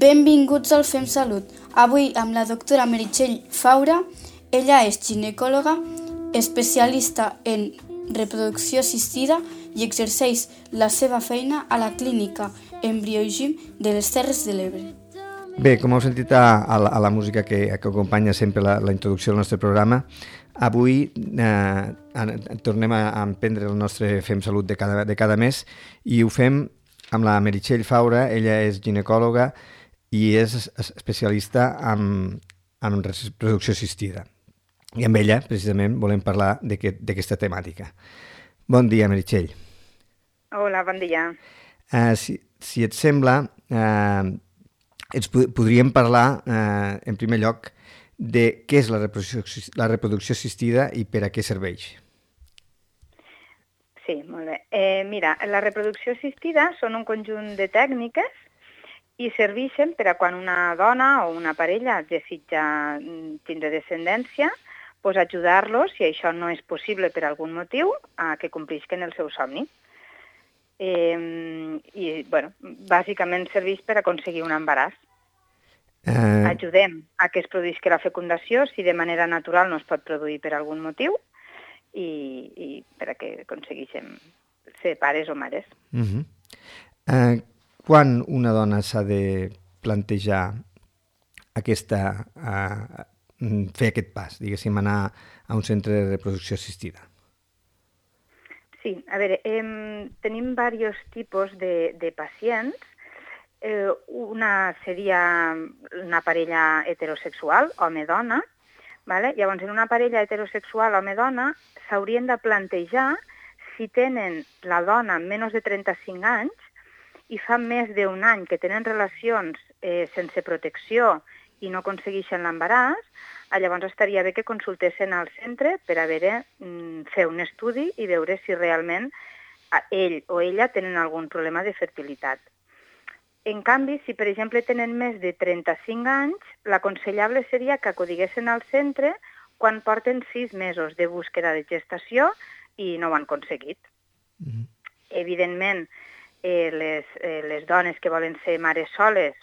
Benvinguts al Fem Salut. Avui amb la doctora Meritxell Faura. Ella és ginecòloga, especialista en reproducció assistida i exerceix la seva feina a la clínica Embriogim de les Terres de l'Ebre. Bé, com heu sentit a la música que acompanya sempre la introducció del nostre programa, avui tornem a emprendre el nostre Fem Salut de cada mes i ho fem amb la Meritxell Faura. Ella és ginecòloga i és especialista en reproducció assistida. I amb ella, precisament, volem parlar d'aquesta temàtica. Bon dia, Meritxell. Hola, bon dia. Si et sembla, podríem parlar, en primer lloc, de què és la reproducció assistida i per a què serveix. Sí, molt bé. Mira, la reproducció assistida són un conjunt de tècniques i serveixen per a quan una dona o una parella desitja tindre descendència, doncs ajudar-los, si això no és possible per algun motiu, a que complisquen el seu somni. I, bueno, bàsicament serveix per aconseguir un embaràs. Ajudem a que es produïsca la fecundació si de manera natural no es pot produir per algun motiu i per a que aconsegueixen ser pares o mares. Quan una dona s'ha de plantejar fer aquest pas, diguéssim, anar a un centre de reproducció assistida? Sí, a veure, tenim diversos tipus de pacients. Una seria una parella heterosexual, home-dona. Llavors, en una parella heterosexual, home-dona, s'haurien de plantejar si tenen la dona menys de 35 anys i fa més d'un any que tenen relacions sense protecció i no aconsegueixen l'embaràs, llavors estaria bé que consultessin al centre per a fer un estudi i veure si realment ell o ella tenen algun problema de fertilitat. En canvi, si per exemple tenen més de 35 anys, l'aconsellable seria que acudiguessin al centre quan porten 6 mesos de búsqueda de gestació i no ho han aconseguit. Evidentment, les dones que volen ser mares soles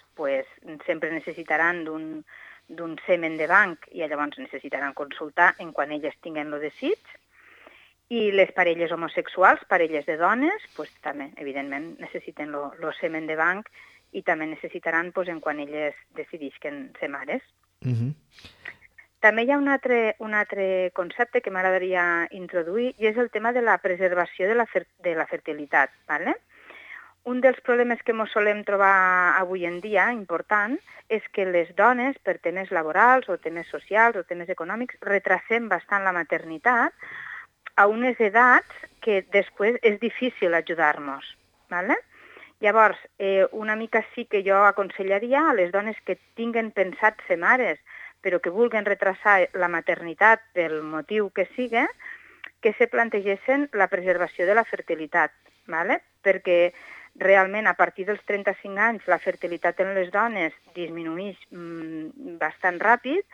sempre necessitaran d'un semen de banc i llavors necessitaran consultar en quan elles tinguen el desig. I les parelles homosexuals, parelles de dones, també, evidentment, necessiten el semen de banc i també necessitaran en quan elles decidisquen ser mares. També hi ha un altre concepte que m'agradaria introduir i és el tema de la preservació de la fertilitat. Un dels problemes que ens solem trobar avui en dia, important, és que les dones, per temes laborals o temes socials o temes econòmics, retrasem bastant la maternitat a unes edats que després és difícil ajudar-nos. Llavors, una mica sí que jo aconsellaria a les dones que tinguen pensat ser mares, però que vulguin retrasar la maternitat pel motiu que sigui, que se plantegessin la preservació de la fertilitat, perquè realment a partir dels 35 anys la fertilitat en les dones disminueix bastant ràpid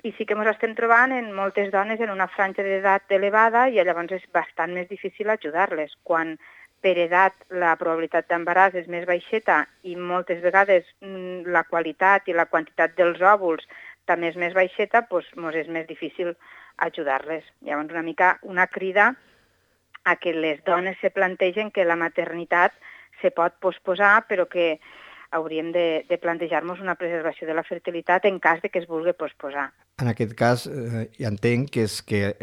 i sí que ens estem trobant en moltes dones en una franja d'edat elevada i llavors és bastant més difícil ajudar-les. Quan per edat la probabilitat d'embaràs és més baixeta i moltes vegades la qualitat i la quantitat dels òvuls també és més baixeta, ens és més difícil ajudar-les. Llavors una mica una crida a que les dones se plantegen que la maternitat se pot posposar, però que hauríem de plantejar-nos una preservació de la fertilitat en cas de que es vulgui posposar. En aquest cas, ja entenc que és que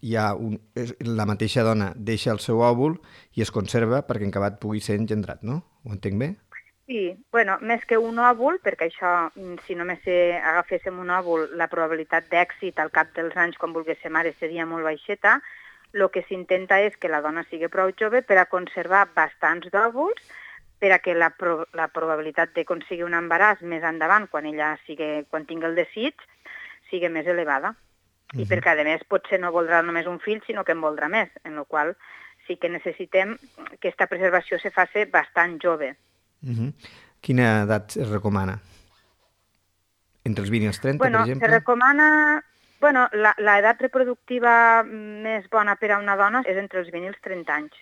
la mateixa dona deixa el seu òvul i es conserva perquè en acabat pugui ser engendrat, no? Ho entenc bé? Sí, més que un òvul, perquè això, si només agaféssim un òvul, la probabilitat d'èxit al cap dels anys quan volgués ser mare seria molt baixeta. El que s'intenta és que la dona sigui prou jove per a conservar bastants òvuls, per a que la probabilitat d'aconseguir un embaràs més endavant, quan tingui el desig, sigui més elevada. I perquè, a més, potser no voldrà només un fill, sinó que en voldrà més, en la qual sí que necessitem que aquesta preservació se faci bastant jove. Quina edat es recomana? Entre els 20 i els 30, per exemple? Se recomana... l'edat reproductiva més bona per a una dona és entre els 20 i els 30 anys.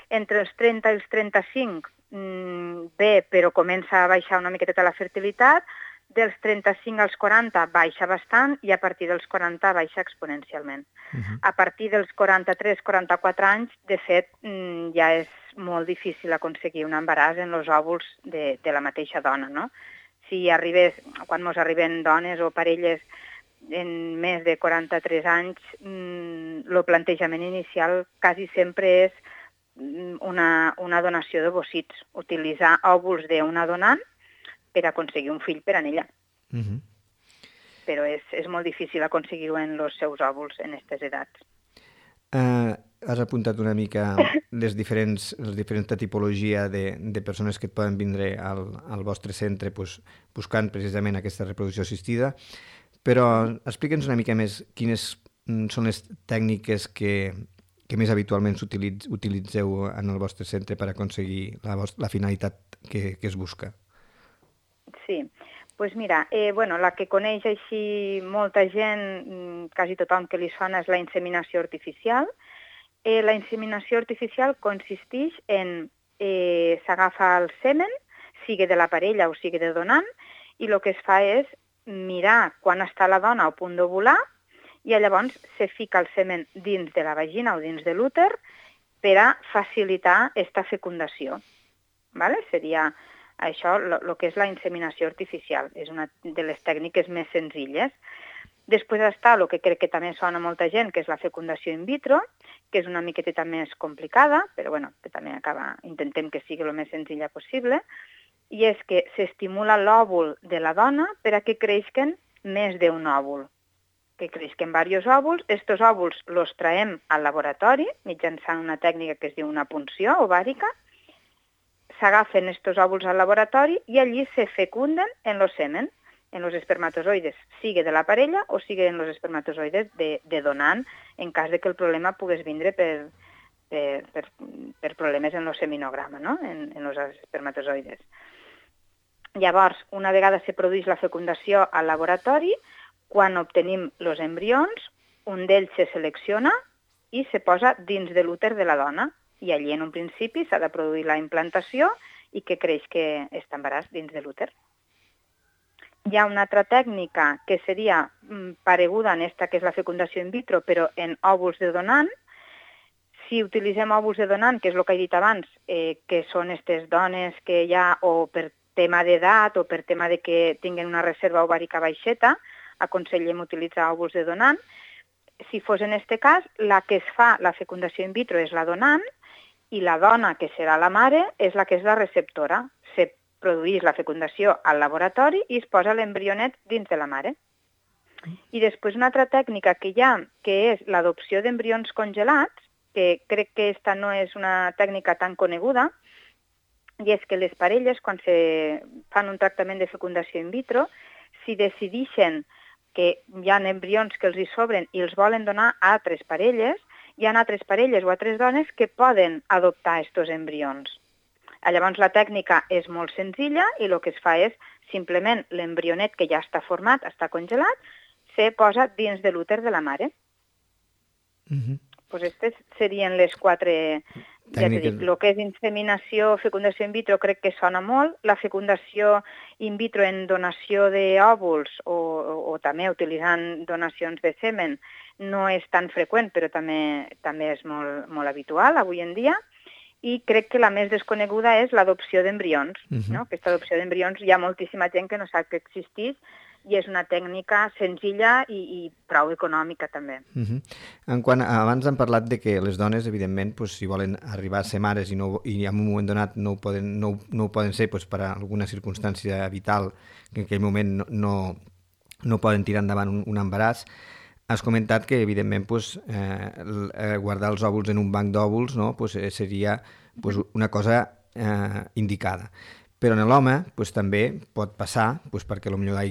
Entre els 30 i els 35 bé, però comença a baixar una miqueta la fertilitat, dels 35 als 40 baixa bastant i a partir dels 40 baixa exponencialment. A partir dels 43-44 anys, de fet, ja és molt difícil aconseguir un embaràs en els òvuls de la mateixa dona, no? Si arribés, quan ens arriben dones o parelles en més de 43 anys, el plantejament inicial quasi sempre és una donació d'ovocits, utilitzar òvuls d'una donant per aconseguir un fill per a ella. Però és molt difícil aconseguir-ho en els seus òvuls en aquestes edats. Has apuntat una mica les diferents tipologia de persones que et poden vindre al vostre centre buscant precisament aquesta reproducció assistida, però explica'ns una mica més quines són les tècniques que més habitualment utilitzeu en el vostre centre per aconseguir la finalitat que es busca. Sí, doncs mira, la que coneix així molta gent, quasi tothom que li sona, és la inseminació artificial. La inseminació artificial consisteix en s'agafa el semen, sigui de la parella o sigui de donant, i el que es fa és mirar quan està la dona a punt d'ovular i llavors se fica el semen dins de la vagina o dins de l'úter per a facilitar aquesta fecundació. Seria això el que és la inseminació artificial. És una de les tècniques més senzilles. Després està el que crec que també sona a molta gent, que és la fecundació in vitro, que és una miqueteta més complicada, però que també intentem que sigui el més senzilla possible, i és que s'estimula l'òvul de la dona per a que creixen més d'un òvul, que creixen diversos òvuls. Estos òvuls els traiem al laboratori mitjançant una tècnica que es diu una punció ovàrica. S'agafen estos òvuls al laboratori i allí se fecunden en el semen, en els espermatozoides, sigui de la parella o sigui en els espermatozoides de donant, en cas de que el problema pogués vindre per problemes en el seminograma, no? En els espermatozoides. Llavors, una vegada se produeix la fecundació al laboratori, quan obtenim els embrions, un d'ells se selecciona i se posa dins de l'úter de la dona. I allí, en un principi, s'ha de produir la implantació i que creix que està embaràs dins de l'úter. Hi ha una altra tècnica que seria pareguda en esta, que és la fecundació in vitro, però en òvuls de donant. Si utilitzem òvuls de donant, que és el que he dit abans, que són aquestes dones que ja o per tema d'edat o per tema de que tinguen una reserva ovàrica baixeta, aconsellem utilitzar òvuls de donant. Si fos en aquest cas, la que es fa la fecundació in vitro és la donant i la dona, que serà la mare, és la que és la receptora. Se produeix la fecundació al laboratori i es posa l'embrionet dins de la mare. I després una altra tècnica que hi ha, que és l'adopció d'embrions congelats, que crec que aquesta no és una tècnica tan coneguda, i és que les parelles, quan se fan un tractament de fecundació in vitro, si decideixen que hi ha embrions que els hi sobren i els volen donar a altres parelles, hi ha altres parelles o altres dones que poden adoptar aquests embrions. Llavors la tècnica és molt senzilla i el que es fa és simplement l'embrionet que ja està format, està congelat, se posa dins de l'úter de la mare. Doncs aquestes serien les 4, ja t'he dit, el que és inseminació, fecundació in vitro crec que sona molt, la fecundació in vitro en donació d'òvuls o també utilitzant donacions de semen no és tan freqüent, però també és molt habitual avui en dia. I crec que la més desconeguda és l'adopció d'embrions. Aquesta adopció d'embrions hi ha moltíssima gent que no sap que existeix i és una tècnica senzilla i prou econòmica també. Abans hem parlat de que les dones, evidentment, si volen arribar a ser mares i en un moment donat no ho poden ser per alguna circumstància vital, que en aquell moment no poden tirar endavant un embaràs, has comentat que, evidentment, guardar els òvuls en un banc d'òvuls seria una cosa indicada. Però en l'home també pot passar, perquè potser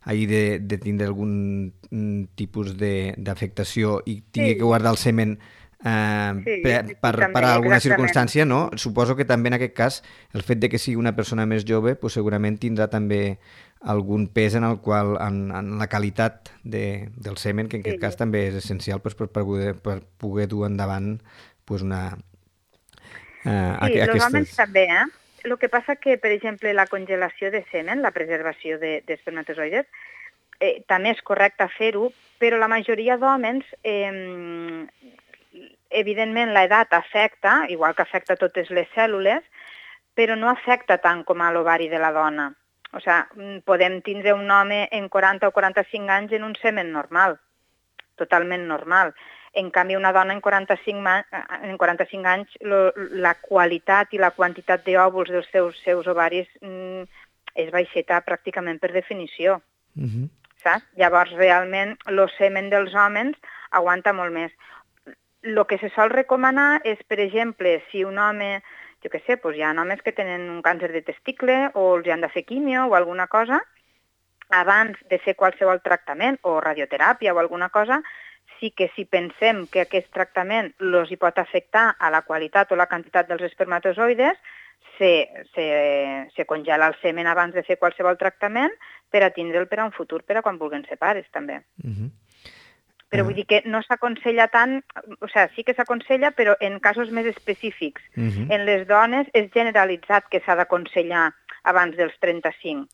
hagi de tindre algun tipus d'afectació i tingui que guardar el semen per alguna circumstància, no? Suposo que també en aquest cas el fet de que sigui una persona més jove segurament tindrà també algun pes en la qualitat del semen, que en aquest cas també és essencial per poder dur endavant Sí, els homes també, El que passa que, per exemple, la congelació de semen, la preservació d'espermatozoides, també és correcte fer-ho, però la majoria d'homes, evidentment, l'edat afecta, igual que afecta totes les cèl·lules, però no afecta tant com a l'ovari de la dona. O sigui, podem tindre un home en 40 o 45 anys en un semen normal, totalment normal. En canvi, una dona en 45 anys, la qualitat i la quantitat d'òvuls dels seus ovaris és baixeta pràcticament per definició. Saps? Llavors, realment, el semen dels homes aguanta molt més. El que se sol recomanar és, per exemple, si un home, jo què sé, hi ha homes que tenen un càncer de testicle o els han de fer quimio o alguna cosa, abans de fer qualsevol tractament o radioteràpia o alguna cosa, sí que si pensem que aquest tractament els hi pot afectar a la qualitat o la quantitat dels espermatozoides, se congela el semen abans de fer qualsevol tractament per a tindre'l per a un futur, per a quan vulguin ser pares, també. Però vull dir que no s'aconsella tant, o sigui, sí que s'aconsella, però en casos més específics. En les dones és generalitzat que s'ha d'aconsellar abans dels 35.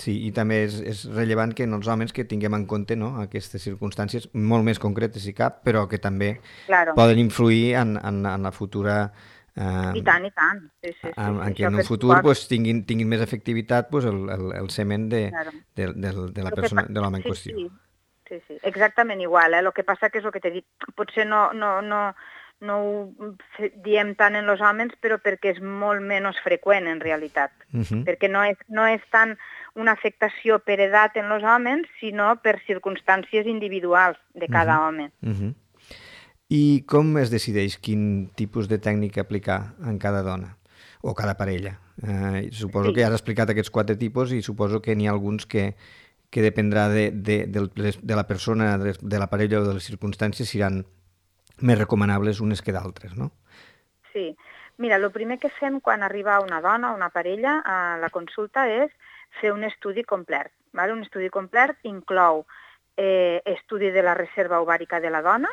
Sí, i també és rellevant que en els homes que tinguem en compte aquestes circumstàncies molt més concretes si cap, però que també poden influir en la futura... I tant. Sí. En que en un futur tinguin més efectivitat el semen de la persona, de l'home en qüestió. Sí, exactament igual. El que passa que és el que t'he dit. Potser no ho diem tant en els homes, però perquè és molt menys freqüent en realitat. Perquè no és tant una afectació per edat en els homes, sinó per circumstàncies individuals de cada home. I com es decideix quin tipus de tècnica aplicar en cada dona o cada parella? Suposo que ja has explicat aquests 4 tipus i suposo que n'hi ha alguns que dependrà de la persona, de la parella o de les circumstàncies, seran més recomanables unes que d'altres, no? Sí. Mira, el primer que fem quan arriba una dona o una parella a la consulta és fer un estudi complet. Un estudi complet inclou estudi de la reserva ovàrica de la dona,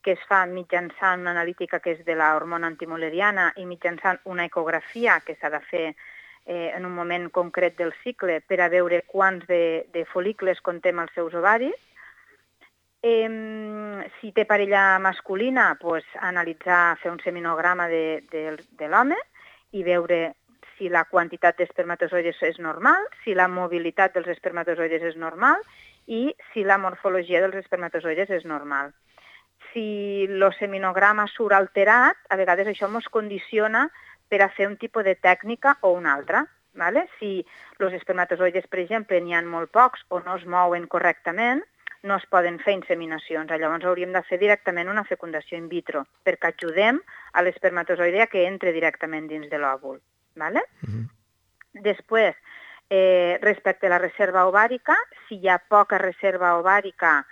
que es fa mitjançant una analítica que és de l'hormona antimoleriana i mitjançant una ecografia que s'ha de fer en un moment concret del cicle per a veure quants de fol·licles contem els seus ovaris. Si té parella masculina, analitzar, fer un seminograma de l'home i veure si la quantitat d'espermatozoides és normal, si la mobilitat dels espermatozoides és normal i si la morfologia dels espermatozoides és normal. Si el seminograma surt alterat, a vegades això ens condiciona per a fer un tipus de tècnica o una altra. Si els espermatozoides, per exemple, n'hi ha molt pocs o no es mouen correctament, no es poden fer inseminacions. Llavors hauríem de fer directament una fecundació in vitro, perquè ajudem a l'espermatozoide que entre directament dins de l'òvul. Després, respecte a la reserva ovàrica, si hi ha poca reserva ovàrica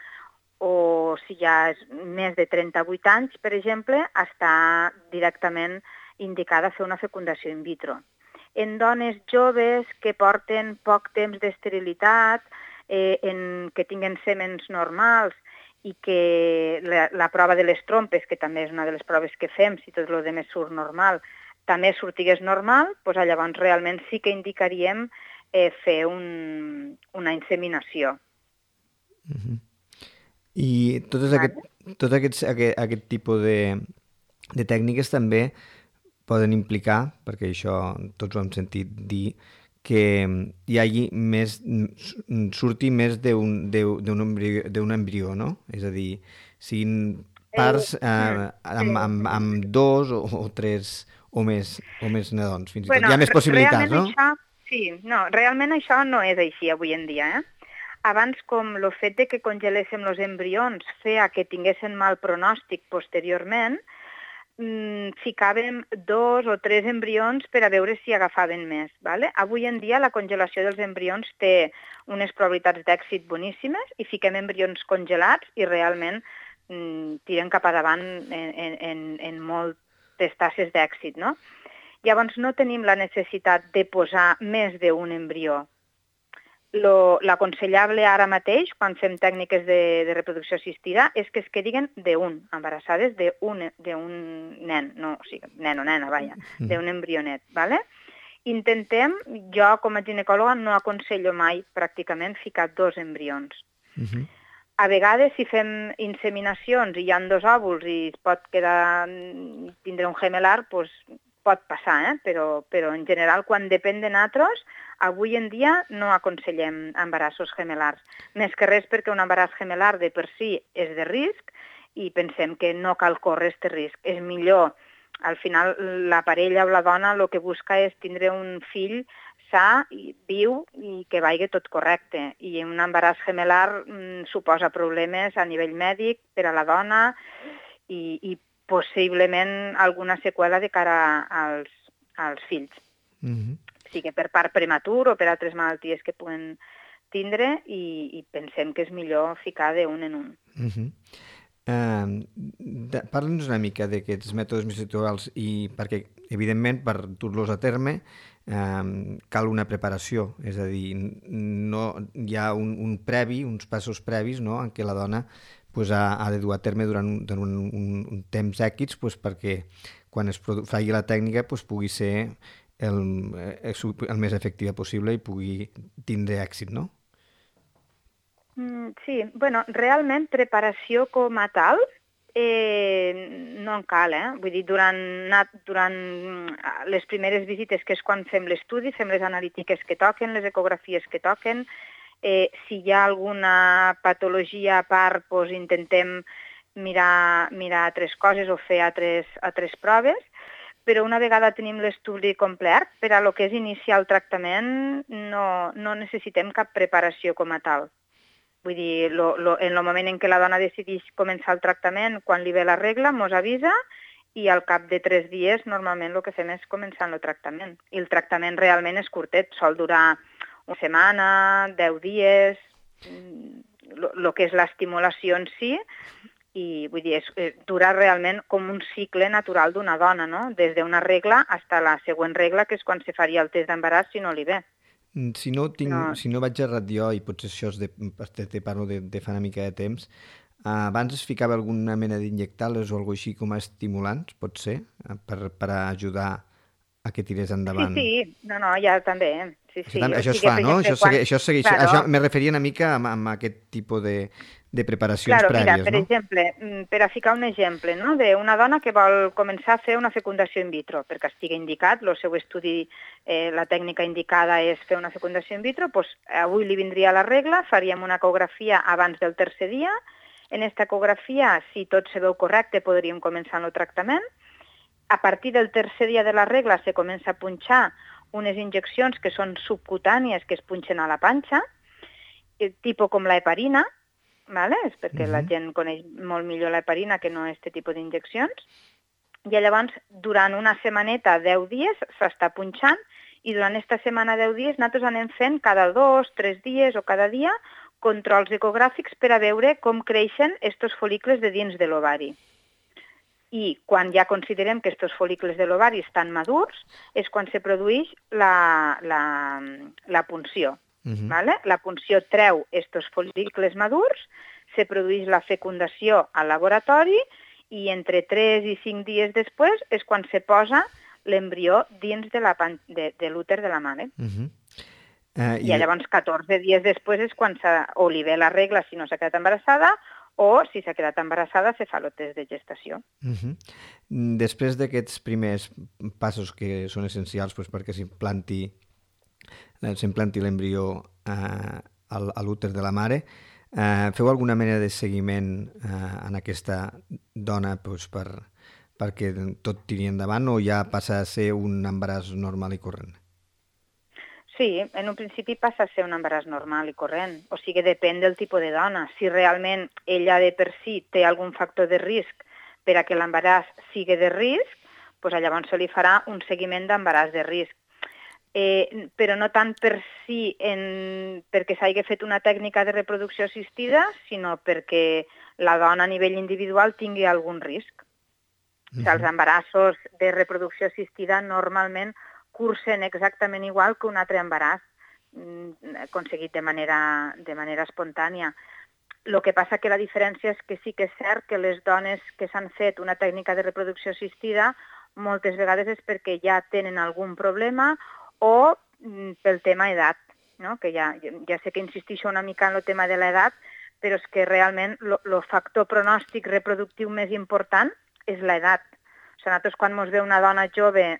o si hi ha més de 38 anys, per exemple, està directament indicada fer una fecundació in vitro. En dones joves que porten poc temps d'esterilitat, que tinguen sèmens normals i que la prova de les trompes, que també és una de les proves que fem, si tot el demés surt normal, també sortigués normal, llavors realment sí que indicaríem fer una inseminació. I tot aquest tipus de tècniques també poden implicar, perquè això tots ho hem sentit dir, que hi hagi surti més d'un embrió, no? És a dir, siguin parts amb 2 o 3 o més nadons, fins i tot. Hi ha més possibilitats, no? Realment això no és així avui en dia, Abans, com el fet de que congeléssim els embrions feia que tinguessin mal pronòstic posteriorment, ficàvem 2 o 3 embrions per a veure si agafaven més. Avui en dia la congelació dels embrions té unes probabilitats d'èxit boníssimes i fiquem embrions congelats i realment tiren cap a davant en moltes tasses d'èxit. Llavors no tenim la necessitat de posar més d'un embrió. L'aconsellable ara mateix, quan fem tècniques de reproducció assistida, és que es quedin d'un, embarassades d'un nen, no, o sigui, nen o nena, vaja, d'un embrionet, ¿vale? Intentem, jo com a ginecòloga no aconsello mai pràcticament ficar 2 embrions. A vegades, si fem inseminacions i hi ha 2 òvuls i es pot tindre un gemelar, doncs pot passar, però en general, quan depèn de nosaltres, avui en dia no aconsellem embarassos gemelars. Més que res perquè un embaràs gemelar de per si és de risc i pensem que no cal córrer aquest risc. És millor, al final, la parella o la dona el que busca és tindre un fill sa, viu i que vagi tot correcte. I un embaràs gemelar suposa problemes a nivell mèdic per a la dona i possiblement alguna seqüela de cara als fills. Sigui per part prematur o per altres malalties que puguen tindre i pensem que és millor ficar d'un en un. Parla'ns una mica d'aquests mètodes més actuals i perquè, evidentment, per dur-los a terme cal una preparació, és a dir, no, hi ha uns passos previs, no?, en què la dona ha de dur a terme durant un temps èquids perquè quan es faci la tècnica pugui ser el més efectiva possible i pugui tindre èxit, no? Sí, bueno, realment preparació com a tal no en cal, Vull dir, durant les primeres visites, que és quan fem l'estudi, fem les analítiques que toquen, les ecografies que toquen, si hi ha alguna patologia a part, doncs intentem mirar altres coses o fer altres proves, però una vegada tenim l'estudi complet, per a lo que és iniciar el tractament no necessitem cap preparació com a tal. Vull dir, en el moment en què la dona decideix començar el tractament, quan li ve la regla, mos avisa i al cap de 3 dies normalment el que fem és començar el tractament. I el tractament realment és curtet, sol durar una setmana, 10 dies, el que és l'estimulació en si, i vull dir, dura realment com un cicle natural d'una dona, no? Des d'una regla fins a la següent regla, que és quan se faria el test d'embaràs si no li ve. Si no vaig errat jo, i potser això te parlo de fa una mica de temps, abans es ficava alguna mena d'injectades o alguna així com a estimulants, pot ser, per ajudar a que tirés endavant? Sí, no, ja també. Sí. Això es fa, no? Això segueix. Això me referia una mica a aquest tipus de preparacions prèvies, mira, per exemple, per a ficar un exemple, no?, d'una dona que vol començar a fer una fecundació in vitro, perquè estigui indicat, el seu estudi, la tècnica indicada és fer una fecundació in vitro, doncs avui li vindria la regla, faríem una ecografia abans del 3è dia, en aquesta ecografia, si tot se veu correcte, podríem començar el tractament. A partir del 3è dia de la regla se comença a punxar unes injeccions que són subcutànies, que es punxen a la panxa, tipus com la heparina, és perquè la gent coneix molt millor la heparina que no aquest tipus d'injeccions, i llavors durant una setmaneta, 10 dies, s'està punxant, i durant aquesta setmana, 10 dies, nosaltres anem fent cada 2, 3 dies o cada dia controls ecogràfics per a veure com creixen aquests fol·licles de dins de l'ovari. I quan ja considerem que aquests fol·licles de l'ovari estan madurs, és quan se produeix la punció. La punció treu aquests fol·licles madurs, se produeix la fecundació al laboratori i entre 3 i 5 dies després és quan se posa l'embrió dins de l'úter de la mare. I llavors 14 dies després és quan o li ve la regla si no s'ha quedat embarassada o si s'ha quedat embarassada se fa el test de gestació. Després d'aquests primers passos que són essencials perquè s'implanti l'embrió a l'úter de la mare, feu alguna mena de seguiment en aquesta dona perquè tot tiri endavant o ja passa a ser un embaràs normal i corrent? Sí, en un principi passa a ser un embaràs normal i corrent. O sigui, depèn del tipus de dona. Si realment ella de per si té algun factor de risc per a que l'embaràs sigui de risc, doncs llavors se li farà un seguiment d'embaràs de risc. Però no tant per si perquè s'hagi fet una tècnica de reproducció assistida, sinó perquè la dona a nivell individual tingui algun risc. Els embarassos de reproducció assistida normalment cursen exactament igual que un altre embaràs, aconseguit de manera espontània. El que passa que la diferència és que sí que és cert que les dones que s'han fet una tècnica de reproducció assistida moltes vegades és perquè ja tenen algun problema o pel tema edat, no? Que ja sé que insistixo una mica en el tema de l'edat, però és que realment el factor pronòstic reproductiu més important és l'edat. O sigui, nosaltres quan ens ve una dona jove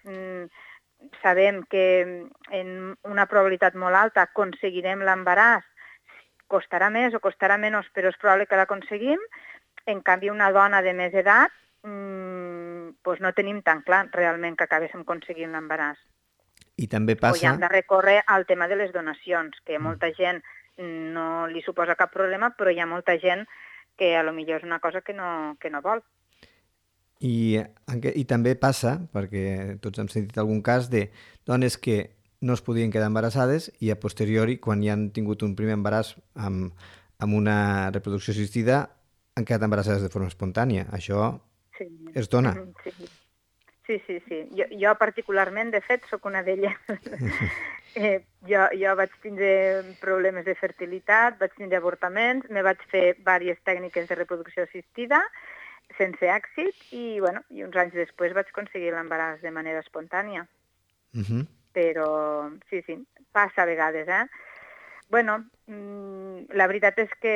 sabem que en una probabilitat molt alta aconseguirem l'embaràs, costarà més o costarà menys, però és probable que l'aconseguim. En canvi, una dona de més edat doncs no tenim tan clar realment que acabéssim aconseguint l'embaràs. I també passa... O ja hem de recórrer al tema de les donacions, que molta gent no li suposa cap problema, però hi ha molta gent que a lo millor és una cosa que no vol. I també passa, perquè tots hem sentit algun cas, de dones que no es podien quedar embarassades i a posteriori, quan ja han tingut un primer embaràs amb una reproducció assistida, han quedat embarassades de forma espontània. Això es dona. Sí. Jo particularment, de fet, sóc una d'elles. Jo vaig tindre problemes de fertilitat, vaig tindre avortaments, me vaig fer diverses tècniques de reproducció assistida sense èxit i uns anys després vaig aconseguir l'embaràs de manera espontània. Però sí, passa a vegades, la veritat és que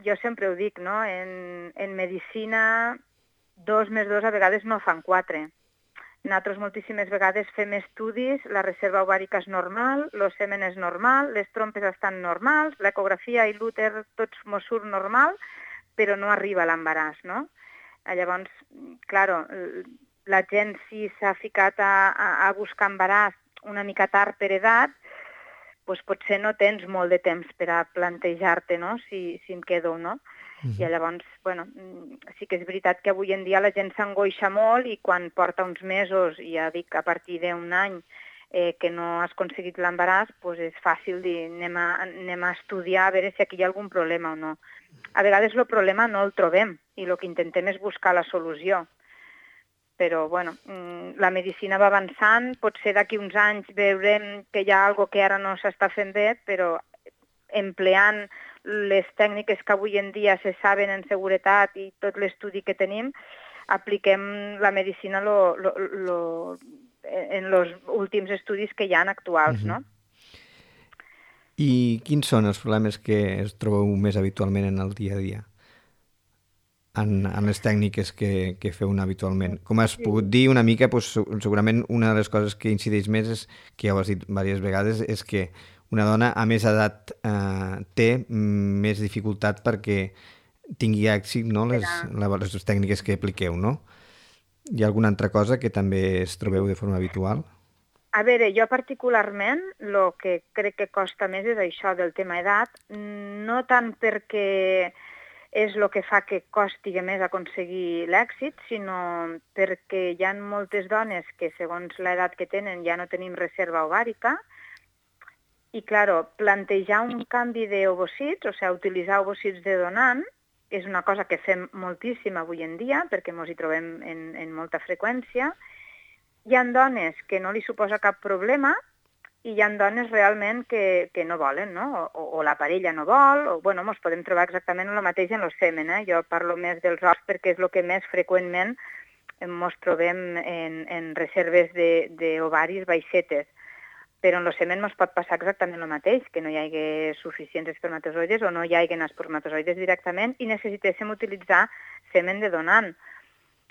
jo sempre ho dic, no? En medicina 2 més 2 a vegades no fan 4. Nosaltres moltíssimes vegades fem estudis, la reserva ovàrica és normal, el semen és normal, les trompes estan normals, l'ecografia i l'úter tots mos surt normal, però no arriba a l'embaràs, no? Llavors, clar, la gent si s'ha ficat a buscar embaràs una mica tard per edat, doncs potser no tens molt de temps per a plantejar-te, no?, si em quedo o no. I llavors, sí que és veritat que avui en dia la gent s'angoixa molt i quan porta uns mesos, ja dic, a partir d'un any, que no has aconseguit l'embaràs, doncs és fàcil dir anem a estudiar a veure si aquí hi ha algun problema o no. A vegades el problema no el trobem i el que intentem és buscar la solució. Però, la medicina va avançant, potser d'aquí uns anys veurem que hi ha alguna cosa que ara no s'està fent bé, però empleant les tècniques que avui en dia se saben en seguretat i tot l'estudi que tenim, apliquem la medicina en els últims estudis que hi ha actuals, no? I quins són els problemes que es trobeu més habitualment en el dia a dia? En les tècniques que feu habitualment. Com has pogut dir una mica, segurament una de les coses que incideix més és, que ja ho has dit diverses vegades, és que una dona a més edat té més dificultat perquè tingui èxit, no?, les tècniques que apliqueu, no? Hi ha alguna altra cosa que també es trobeu de forma habitual? A veure, jo particularment el que crec que costa més és això del tema edat, no tant perquè és el que fa que costi més aconseguir l'èxit, sinó perquè hi ha moltes dones que segons l'edat que tenen ja no tenim reserva ovàrica i, clar, plantejar un canvi d'ovocits, o sigui, utilitzar ovocits de donant, és una cosa que fem moltíssim avui en dia perquè ens hi trobem en molta freqüència. Hi ha dones que no li suposa cap problema i hi ha dones realment que no volen, no? O la parella no vol, o ens podem trobar exactament el mateix en el semen. Jo parlo més dels ous perquè és el que més freqüentment ens trobem en reserves d'ovaris baixetes. Però en el semen ens pot passar exactament el mateix, que no hi hagi suficients espermatozoides o no hi hagi espermatozoides directament i necessitéssim utilitzar semen de donant.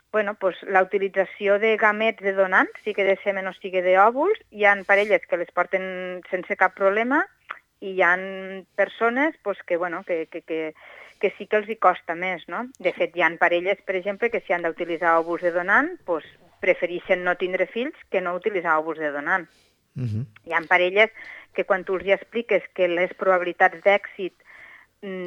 La utilització de gamets de donant, sigui de semen o sigui d'òvuls, hi ha parelles que les porten sense cap problema i hi ha persones que sí que els hi costa més, no? De fet, hi ha parelles, per exemple, que si han d'utilitzar òvuls de donant, prefereixen no tindre fills que no utilitzar òvuls de donant. Hi ha parelles que quan tu els hi expliques que les probabilitats d'èxit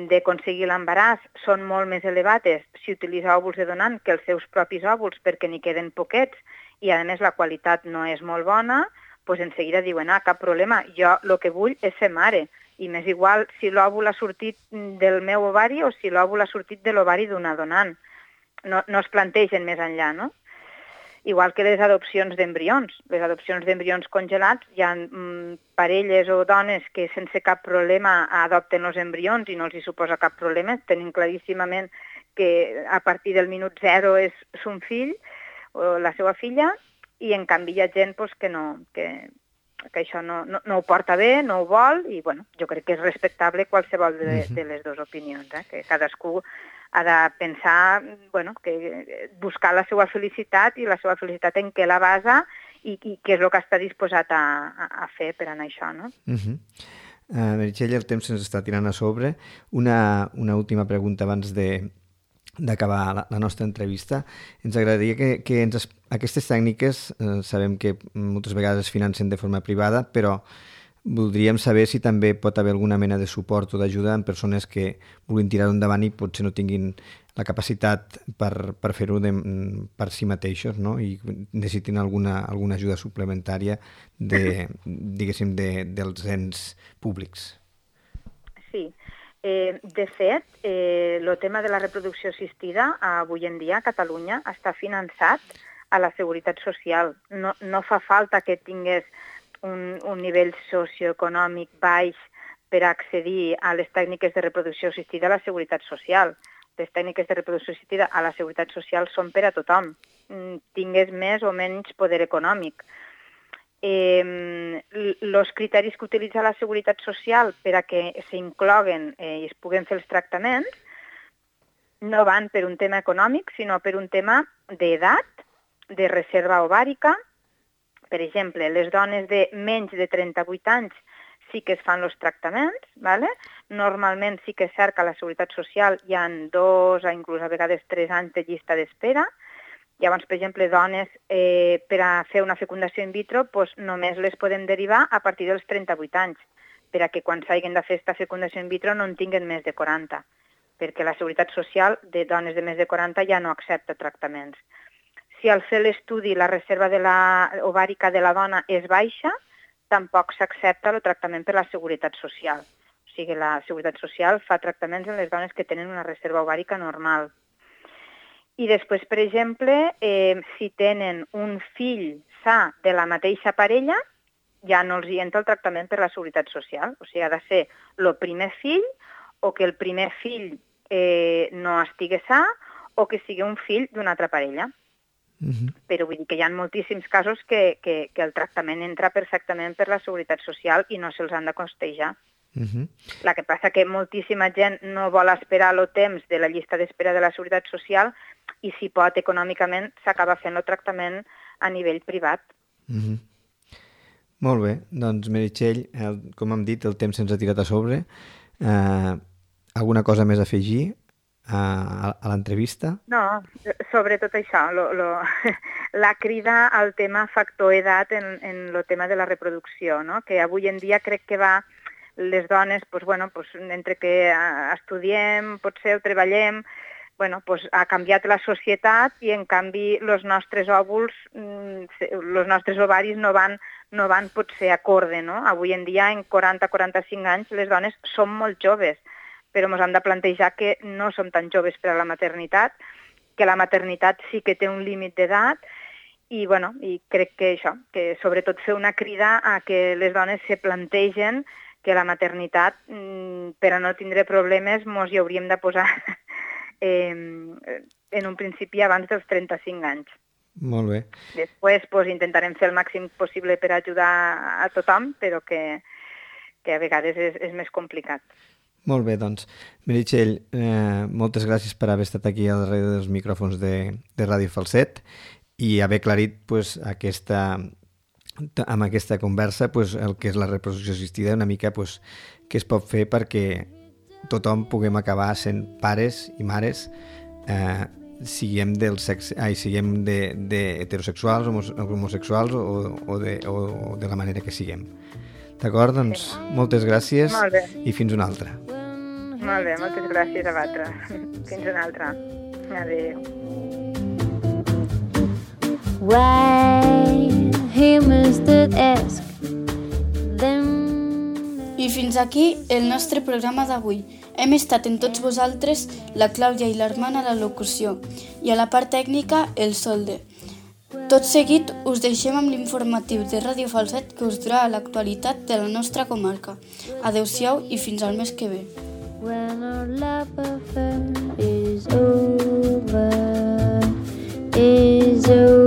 d'aconseguir l'embaràs són molt més elevades si utilitza òvuls de donant que els seus propis òvuls perquè n'hi queden poquets i a més la qualitat no és molt bona, en seguida diuen, cap problema, jo el que vull és ser mare i m'és igual si l'òvul ha sortit del meu ovari o si l'òvul ha sortit de l'ovari d'una donant. No es plantegen més enllà, no? Igual que les adopcions d'embrions. Les adopcions d'embrions congelats, hi ha parelles o dones que sense cap problema adopten els embrions i no els hi suposa cap problema, tenen claríssimament que a partir del minut 0 és son fill o la seva filla, i en canvi hi ha gent pues, que això no ho porta bé, no ho vol, i bueno, jo crec que és respectable qualsevol de les dues opinions, que cadascú ha de pensar, bueno, que buscar la seva felicitat i la seva felicitat en què la basa i què és el que està disposat a fer per anar a això, no? Meritxell, el temps se'ns està tirant a sobre. Una última pregunta abans d'acabar la nostra entrevista. Ens agradaria que aquestes tècniques sabem que moltes vegades es financen de forma privada, però voldríem saber si també pot haver alguna mena de suport o d'ajuda en persones que vulguin tirar-ho endavant i potser no tinguin la capacitat per fer-ho per si mateixos, no? I necessitin alguna ajuda suplementària diguéssim, dels ens públics. Sí. De fet, el tema de la reproducció assistida avui en dia a Catalunya està finançat a la Seguretat Social. No fa falta que tingués un nivell socioeconòmic baix per accedir a les tècniques de reproducció assistida a la Seguretat Social. Les tècniques de reproducció assistida a la Seguretat Social són per a tothom, tingués més o menys poder econòmic. Els criteris que utilitza la Seguretat Social per a que s'incloguen i es puguen fer els tractaments no van per un tema econòmic, sinó per un tema d'edat, de reserva ovàrica. Per exemple, les dones de menys de 38 anys sí que es fan els tractaments, ¿vale? Normalment sí que es cert que a la Seguretat Social hi ha 2 o inclús a vegades 3 anys de llista d'espera. Llavors, per exemple, dones per a fer una fecundació in vitro només les podem derivar a partir dels 38 anys, per a que quan s'hagin de fer aquesta fecundació in vitro no en tinguin més de 40, perquè la Seguretat Social de dones de més de 40 ja no accepta tractaments. Si al fer l'estudi la reserva ovàrica de la dona és baixa, tampoc s'accepta el tractament per la Seguretat Social. O sigui, la Seguretat Social fa tractaments en les dones que tenen una reserva ovàrica normal. I després, per exemple, si tenen un fill sa de la mateixa parella, ja no els hi entra el tractament per la Seguretat Social. O sigui, ha de ser el primer fill o que el primer fill no estigui sa o que sigui un fill d'una altra parella. Però vull dir que hi ha moltíssims casos que el tractament entra perfectament per la Seguretat Social i no se'ls han de costejar. El que passa que moltíssima gent no vol esperar el temps de la llista d'espera de la Seguretat Social i si pot econòmicament s'acaba fent el tractament a nivell privat. Molt bé, doncs Meritxell, com hem dit, el temps se'ns ha tirat a sobre. Alguna cosa més a afegir a l'entrevista? No, sobretot això, la crida al tema factor edat en el tema de la reproducció, no? Que avui en dia crec que va les dones, entre que estudiem, potser ho treballem, ha canviat la societat i en canvi els nostres òvuls, els nostres ovaris no van potser acorde, no? Avui en dia, en 40-45 anys, les dones som molt joves, però ens hem de plantejar que no som tan joves per a la maternitat, que la maternitat sí que té un límit d'edat i crec que això, que sobretot fer una crida a que les dones se plantegen que la maternitat, per a no tindre problemes, ens hi hauríem de posar en un principi abans dels 35 anys. Molt bé. Després intentarem fer el màxim possible per ajudar a tothom, però que a vegades és més complicat. Molt bé, doncs. Meritxell, moltes gràcies per haver estat aquí al darrere dels micròfons de Ràdio Falset i haver aclarit amb aquesta conversa el que és la reproducció assistida, una mica què es pot fer perquè tothom puguem acabar sent pares i mares, siguem heterosexuals, homosexuals o de la manera que siguem. D'acord? Doncs moltes gràcies i fins una altra. Molt bé, moltes gràcies a vosaltres. Fins una altra. Adéu. I fins aquí el nostre programa d'avui. Hem estat en tots vosaltres la Clàudia i l'Armand a la locució i a la part tècnica el Solde. Tot seguit us deixem amb l'informatiu de Ràdio Falset que us durà l'actualitat de la nostra comarca. Adéu-siau i fins al mes que ve. When our love affair is over, is over.